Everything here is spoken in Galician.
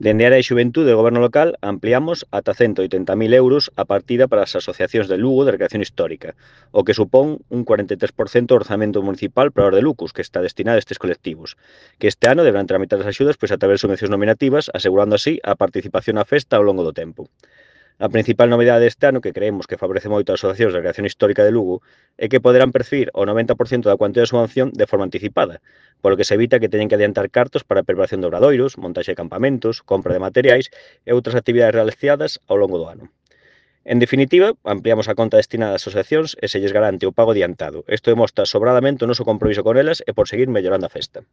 Dende a área de xuventude do Goberno local ampliamos ata 180.000 euros a partida para as asociacións de Lugo de recreación histórica, o que supón un 43% do orzamento municipal para os de Lucus, que está destinado a estes colectivos, que este ano deberán tramitar as axudas pois a través de subvencións nominativas, asegurando así a participación na festa ao longo do tempo. A principal novidade deste ano, que creemos que favorece moito as asociacións de recreación histórica de Lugo, é que poderán percibir o 90% da cuantía da subvención de forma anticipada, polo que se evita que teñen que adiantar cartos para a preparación de obradoiros, montaxe de campamentos, compra de materiais e outras actividades realizadas ao longo do ano. En definitiva, ampliamos a conta destinada ás asociacións e se lles garante o pago adiantado. Isto demostra sobradamente o noso compromiso con elas e por seguir mellorando a festa.